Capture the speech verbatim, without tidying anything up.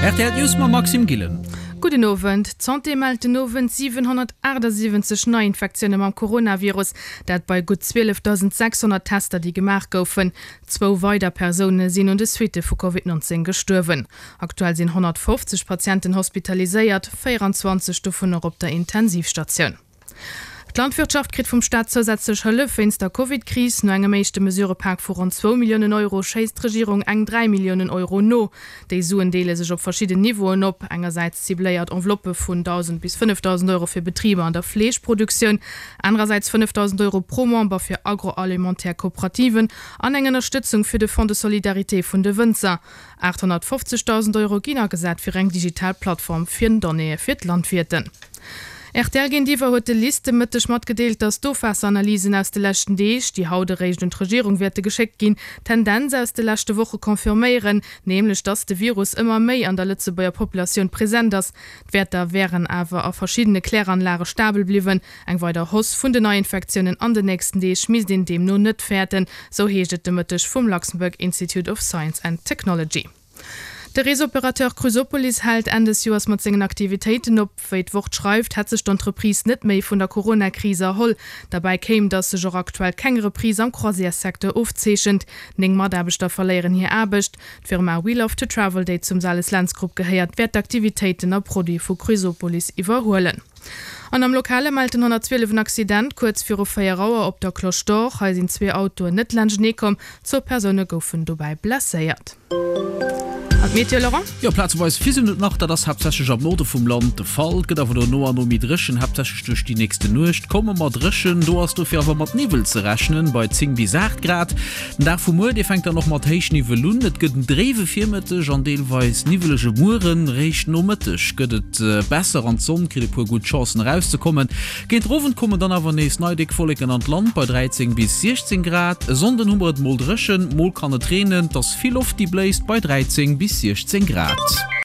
Rtl News mam Maxime Gillen. Gudden Owend. D'Santé mellt den Owend siwenhonnertachtasiwwenzeg Neiinfektioune mam Coronavirus, dat bei gutt zwielefdausendsechshonnert Tester, déi gemaach goufen. Zwou weider Persoune sinn un de Suitte vu Covid neunzéng gestuerwen. Aktuell sinn honnertfofzeg Patienten hospitaliséiert, véieranzwanzeg dovunner op der Intensivstatioun. D'Landwirtschaft kritt vum Staat zousätzlech Hëllef wéinst der Covid-Kris. No engem éischte Mesurëpak vu ronn zwou Milliounen Euro schéisst d'Regierung eng dräi Milliounen Euro no. Déi Suen deele sech op verschidden Niveauen op, engersäits cibléiert Enveloppë vun dausend bis fënnefdausend Euro fir Betriber an der Fleeschproduktioun, anerersäits fënnefdausend Euro pro Member fir agroalimentaire Kooperativen an eng Ënnerstëtzung fir de Fonds de solidarité vun de Wënzer. aathonnertfofzegdausend Euro ginn agesat fir eng digital Plattform fir Donnéeë fir d'Landwierten. Rtl géintiwwer huet de LIST de Mëtteg matgedeelt, datt d'Ofwaasseranalysen aus de leschten Deeg, déi haut eréischt un d'Regierung wäerte geschéckt ginn, d'Tendenz aus de leschte Woche confirméieren, nämlech datt de Virus ëmmer méi an der Lëtzebuerger Populatioun present ass. D'Wäerter wären awer a verschiddene Kläranlage stabel bliwwen. Eng weider Hausse vun den Neiinfektiounen an den nächsten Deeg misst een deemno net fäerten, sou heescht et de Mëtteg vum Luxembourg Institute of Science and Technology. De Reesoperateur Cruisopolis hält Enn des Joers mat sengen Aktivitéiten op. Wéi d'Wort schreift, hätt sech d'Entreprise net méi vun der Corona-Kris erholl. Derbäi kéim, datt sech och aktuell keng Reprise am Croisières-Secteur ofzeechent. Néng Mataarbechter verléieren hir Aarbecht. D'Firma We Love to Travel, déi zum Sales Lentz Group gehéiert, wäert d'Aktivitéiten a Produite vu Cruisopolis iwwerhuelen. An am Lokale mellt den honnertzwielef en Accident kuerz viru véier Auer op der Cloche d'Or. Hei sinn zwee Autoen net laanschtenee komm, zwou Persoune goufen dobäi blesséiert. An d'Meteo, Laurent? Jo, plazeweis fisselt et nach, dat ass haaptsächlech am Norde vum Land de Fall. Et gëtt awer elo no an no méi dréchen, haaptsächlech duerch déi nächste Nuecht komme mer dréchen. Do ass dofir awer mat Niwwel ze rechnen, bei zéng bis aacht Grad. Den Dag vu muer, dee fänkt dann och mat Héichniwwel un. Et gëtt en dréiwe Virmëtteg an deelweis niwwelege Mueren. Réischt Nomëtteg gëtt et besser an d'Sonn kritt e puer gutt Chancen erauszekommen. Géint den Owend kommen dann awer nees nei déck Wolleken an d'Land bei dräizéng bis siechzéng Grad. E Sonnden hu mer et mol dréchen, mol kann et reenen. Et ass vill Loft déi bléist bei dräizéng bis siechzéng Grad.